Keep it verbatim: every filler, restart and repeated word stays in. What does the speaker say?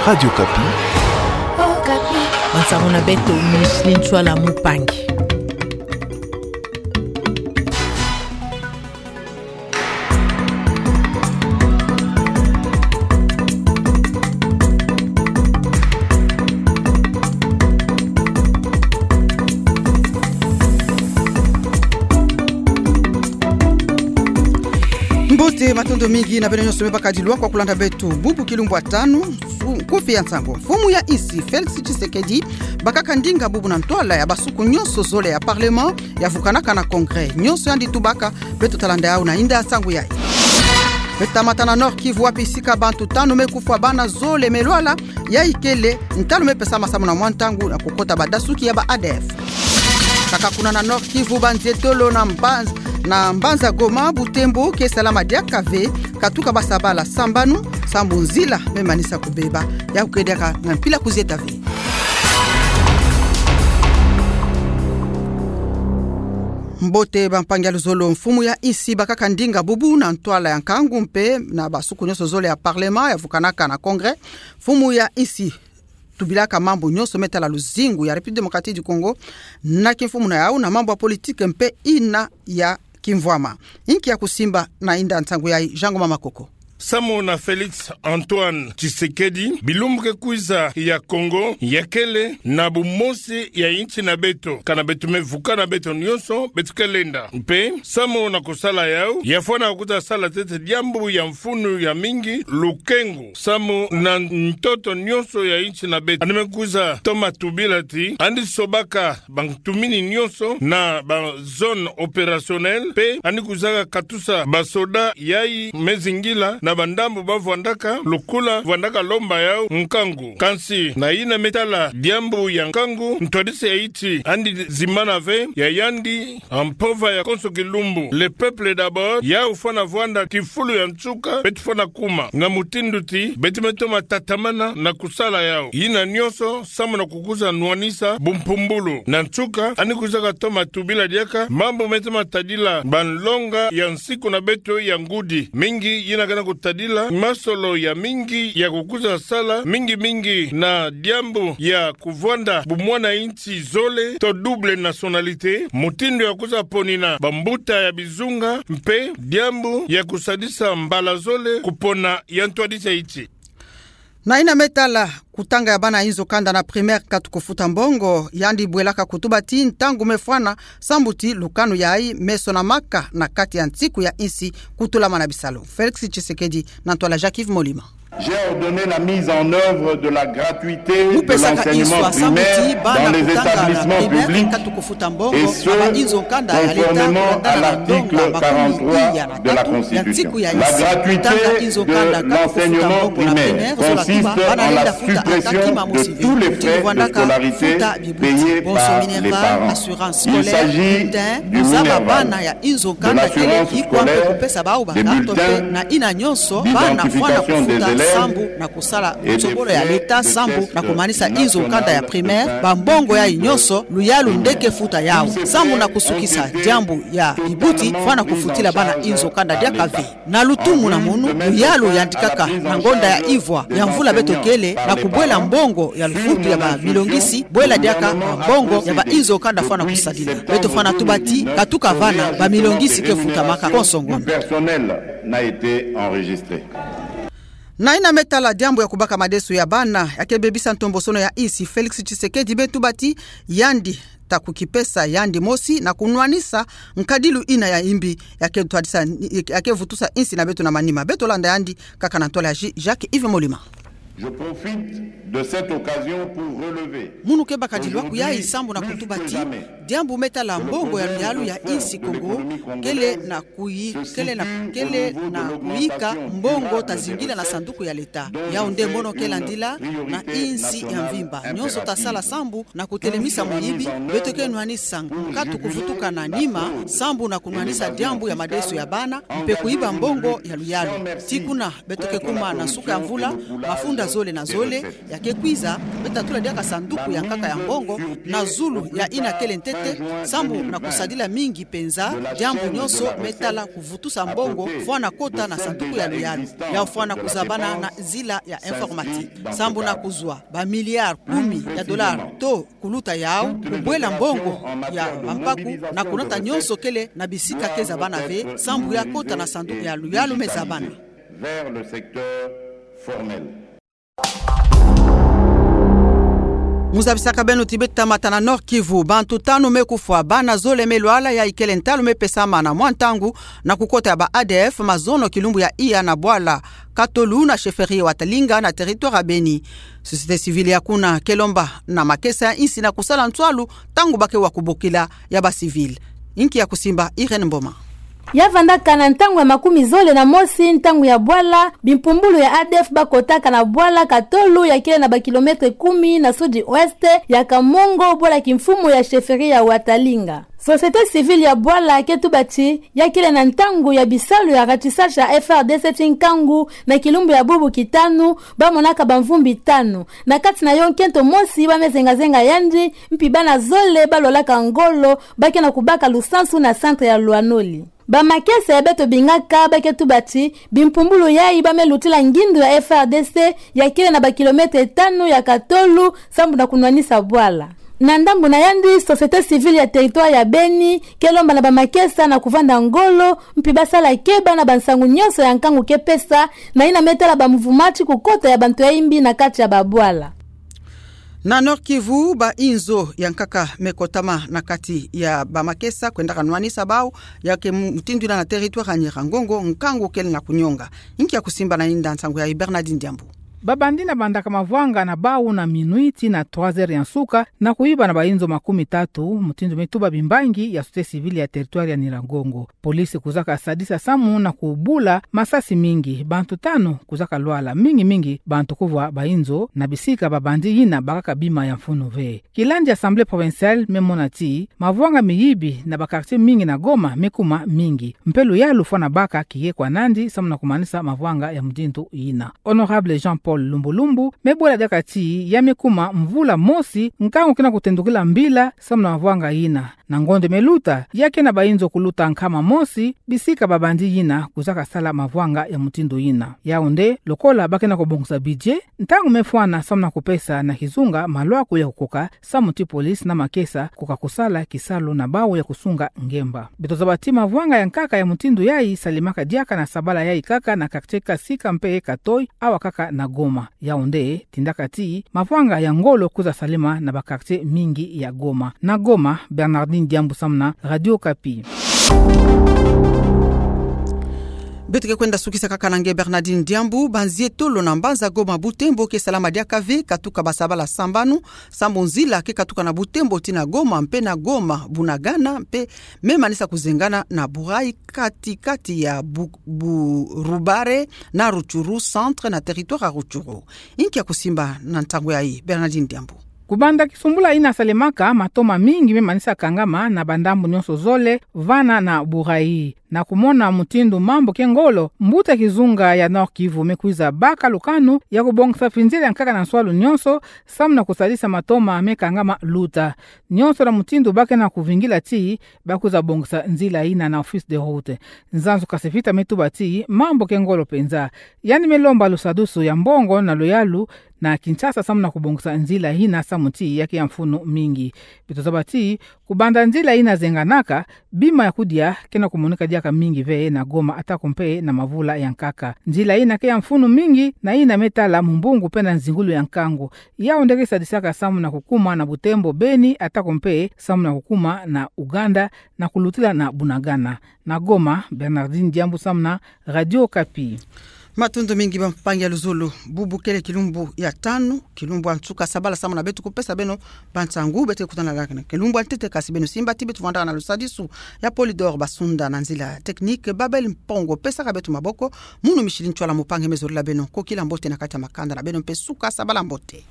Radio Okapi. Okapi. Bansango na beto, Micheline Tshuala Mupangi. Mbote, matondo mingi na beno nyonso me bakadilwa kwa kulanda beto. Bubu kilumbu ya tanu, su-, nkufi ya nsango. Mfumu ya insi, Félix Tshisekedi, bakaka ndinga bubu na ntwala ya basuku nyonso zole ya Parlement, yavukanaka na Congrès. Nyonso yandi tubaka, beto talanda yawu na inda ya nsango yayi. Me tamata na Nord-Kivu, wapi sika bantu tanu me kufwa, bana zole me lwala, yayi kele ntalu me pesama samu na mwa ntangu na kukota badasuki ya ba A D F. Kaka kuna na Nord-Kivu, banzietolo na Mbanz-, na mbanza Goma, Butembo, ke salama diaka ve, katuka basa bala sambanu, sambu nzila me manisa kubeba. Yawu ke diaka na mpila kuzieta ve. Mbote bampangi ya luzolo, mfumu ya insi bakaka ndinga bubu na ntwala ya nkangu mpe na basuku nyonso zole ya Parlement yavukanaka na Congrès. Mfumu ya insi tubilaka mambu nyonso me tala luzingu ya République Démocratique du Congo na kimfumu na yawu, na mambu ya politique mpe ina ya kimvwama. Inki ya kusimba na inda nsango yayi, Jean Ngoma Makoko? Samu na Félix Antoine Tshisekedi, bilumbu ke kwiza ya Congo yakele na bumosi ya insi na beto, kana beto me vukana beto nyonso, beto ke lenda. Mpe samu na kusala yawu, yafwana kuta sala ntete diambu ya mfunu ya mingi, lukengu samu na ntoto nyonso ya insi na beto. Yandi me kwiza toma tubila ti yandi sobaka bantumini nyonso na ba zone opérationnelle, mpe yandi kwizaka katusa basoda yayi me zingila na bandambu bavwandaka, lokola vwandaka lomba yawu nkangu. Kansi na ina me tala diambu ya nkangu, ntwadisi ya insi yandi zimbana ve, ya yandi mpova ya konso kilumbu, le peuple d'abord, yawu fwana vwanda kifulu ya nsuka beto fwana kuma. Na mutindu ti beto me toma tatamana na kusala yawu. Ina nyonso samu na kukwiza nwanisa bumpumbulu. Na nsuka, yandi kwizaka toma tubila diaka mambu me toma tadila banlonga ya nsiku na beto ya ngudi. Mingi yina ke na kutadila masolo ya mingi ya kukwiza sala, mingi mingi na diambu ya kuvwanda bumwana insi zole to double nationalité, mutindu ya kwiza ponina bambuta ya bizunga, mpe diambu ya kusadisa mbala zole kupona ya ntwadisi ya insi. Na ina me tala kutanga ya bana inzo kanda na primaire, katuka kufuta mbongo, yandi bwelaka kutuba ti ntangu me fwana, sambu ti lukanu yayi me sonamaka na kati ya nsiku ya insi, kutulamana bisalu. Félix Tshisekedi na ntwala Jacques-Yves Molima. J'ai ordonné la mise en œuvre de la gratuité de l'enseignement primaire dans les établissements publics, et ce, conformément à l'article quarante-trois de la Constitution. La gratuité de l'enseignement primaire consiste en la suppression de tous les frais de scolarité payés par les parents. Il s'agit du Minerval, de l'assurance scolaire, des bulletins d'identification des élèves et des frais de test national de bulletin. Bambongo yayi nyonso, luyalu nde ke futa yawu. Samu na kusukisa diambu ya bibuti, fwana kufutila bana inzo kanda diaka ve. Na lutumu na munu, luyalu yandikaka na ngonda ya ivwa ya mvula beto kele, na kubwela mbongo ya lufutu ya bamilongisi, bwela diaka mbongo ya ba inzo kanda fwana kusadila. Beto fwana tuba ti, katuka vana, bamilongisi ke futamaka konso ngonda. Personnel n'a été enregistré. Na ina me tala diambu ya kubaka madeso ya bana, ya ke bebisa ntombosono ya insi, Félix Tshisekedi me tuba ti yandi ta kukipesa yandi mosi na kunwanisa nkadilu ina ya imbi, ya ke twadisa, ya ke vutusa insi na beto na manima. Beto landa yandi kaka na ntwala ya Ji-, Jacques-Yves Molima. Je profite de cette occasion pour relever. Munu ke bakadilwa kuyayi sambu na kutuba ti, diambu me tala mbongo ya luyalu ya insi Kongo, kele na kuyi-, kele na, kele na kuyika mbongo ta zingila na sanduku ya leta. Yawu nde mono ke landila na insi ya mvimba. Nyonso ta sala sambu na kutelemisa muyibi, beto ke nwanisa nkatu kuvutuka na nima, sambu na kunwanisa diambu ya madeso ya bana, mpe kuyiba mbongo ya luyalu. Ti kuna, beto ke kuma na nsuka ya mvula, mafunda zole na zole, ya ke kwiza, me tatula diaka sanduku ya nkaka ya mbongo, na zulu ya yina kele ntete, sambu na kusadila mingi mpenza, diambu nyonso me tala kuvutusa mbongo, fwana kota na sanduku ya luyalu, ya fwana kuzabana na nzila ya informatique. Sambu na kuzwa, ba milliards kumi ya dollars, to kuluta yau, kubwela mbongo ya bampaku, na kunata nyonso kele na bisika ke zabana ve, sambu ya kota na sanduku ya luyalu me zabana. Vers le secteur formel. Mu zabisaka beno ti beto tamata na Nord-Kivu, bantu tanu me kufwa, bana zole me lwala, ya ikele ntalu me pesama na mwa ntangu na kukota ya ba A D F mazono kilumbu ya iya na bwala Katolu na chefferie Watalinga na territoire ya Beni. Société civile ya kuna ke lomba na makesa ya insi na kusala nswalu ntangu ba ke wa kubokila ya ba civil. Inki ya kusimba, Irène Mboma. Ya vandaka na ntangu ya makumi zole na mosi ntangu ya bwala, bimpumbulu ya A D F bakotaka na bwala Katolu ya kele na ba kilomètre kumi na sud-ouest ya Kamongo, bwala kimfumu ya chefferie ya Watalinga. Société civile ya bwala ke tuba ti ya kele na ntangu ya bisalu ya ratissage ya F R D C ti nkangu na kilumbu ya bubu kitanu, ba monaka bamvumbi tanu. Na kati na yo nkento mosi ba me zenga-zenga yandi, mpi bana zole ba lwalaka ngolo ba ke na kubaka lusansu na centre ya Lwanoli. Bamakesa ya beto bingaka ba ke tuba ti bimpumbulu yayi ba me lutila ngindu ya F R D C ya kele na ba kilomètre tanu ya Katolu, sambu na kunwanisa bwala. Na ndambu na yandi, société civile ya territoire ya Beni ke lomba na bamakesa na kuvanda ngolo, mpi ba sala keba na bansangu nyonso ya nkangu ke pesa, na yina me tala bamvumati kukota ya bantu ya imbi na kati ya babwala. Na Nord-Kivu, ba inzo ya nkaka me kotama na kati ya bamakesa kwendaka nwanisa bau, ya ke mu-, mutindu yina na territoire ya Nyiragongo, nkangu kele na kunyonga. Inki ya kusimba na yinda nsangu yayi, Bernardine Diambu. Babandi na bandaka mavwanga na bau na minuit tii na trois heures ya nsuka, na kuyiba na ba inzo makumi tatu, mutindu me tuba bimbangi ya société civile ya territoire ya Nyiragongo. Police kuzaka sadisa samu na kubula masasi mingi, bantu tanu kuzaka lwala, mingi-mingi bantu kuvwa ba inzo, na bisika babandi yina bakaka bima ya mfunu ve. Kilandi ya Assemblée provinciale me mona ti mavwanga miyibi na ba quartier mingi na Goma me kuma mingi. Mpe luyalu fwana baka kiye kwa nandi samu na kumanisa mavwanga ya mutindu yina. Honorable Jean-Paul Lumbulumbu me bwela diaka ti ya me kuma mvula mosi nkangu ke na kutendukila mbila samu na mavwanga yina. Na ngonde me luta, ya ke na ba inzo kuluta nkama mosi, bisika babandi yina kuzaka sala mavwanga ya mutindu yina. Yau nde, lokola ba ke na kubongisa budget, ntangu me fwana samu na kupesa na kizunga malwaku ya kukoka, samu ti police na makesa kukoka kusala kisalu na bau ya kusunga ngemba. Beto zaba ti mavwanga ya nkaka ya mutindu yayi salemaka diaka na sabala yayi kaka na quartier Kasika mpe Katoi, awa kaka na Goma. Yau nde, tindaka ti mavwanga ya ngolo kwiza salema na ba quartier mingi ya Goma. Na Goma, Bernardine Diambu samu na Radio Okapi. Beto ke kwenda sukisa kaka na nge Bernardine Diambu. Banzietolo na mbanza Goma Butembo ke salama diaka ve katuka ba sabala sambanu, sambu nzila ke katuka na Butembo tii na Goma mpe na Goma Bunagana mpe me manisa kuzengana na Burai, kati-kati ya Bu-, Bu-, Rubare na Rutshuru centre na territoire ya Rutshuru. Inki ya kusimba na ntangu yayi, Bernardine Diambu. Kubanda kisumbula yina salemaka, matoma mingi me manisa kangama na bandambu nyonso zole, vana na Burai. Na kumona mutindu mambu ke ngolo, mbuta kizunga ya Nord-Kivu me kwiza baka lukanu ya kubongisa finzila ya nkaka na nswalu nyonso, samu na kusadisa matoma me kangama luta. Nyonso na mutindu ba ke na kuvingila ti ba kwiza bongisa nzila yina na Office des routes. Nzanzu Kasivita me tuba ti mambu ke ngolo mpenza. Yandi me lomba lusadusu ya mbongo na luyalu na Kinshasa samu na kubongisa nzila yina samu ti ya ke ya mfunu mingi. Beto zaba ti kubanda nzila yina zenganaka, bima ya kudia ke na kumonika diaka mingi ve na Goma atako mpe na mavula ya nkaka. Nzila yina ke ya mfunu mingi, na yina me tala mumbungu mpe na nzingulu ya nkangu. Yau nde ke sadisaka samu na kukuma na Butembo Beni atako mpe samu na kukuma na Uganda na kulutila na Bunagana. Na Goma, Bernardine Diambu samu na Radio Okapi. Matondo mingi bampangi ya luzolo. Bubu kele kilumbu ya tanu, kilumbu ya nsuka sabala samu na beto kupesa beno bansangu. Beto ke kutana diaka na kilumbu ya ntete, kasi beno simba ti beto vwandaka na lusadisu ya Polydor Basunda, na nzila technique Babel Mpongo pesaka beto maboko. Munu Micheline Tshoala Mopanghe me zorila beno. Kokila mbote na kati ya makanda na beno mpe suka sabala mbote.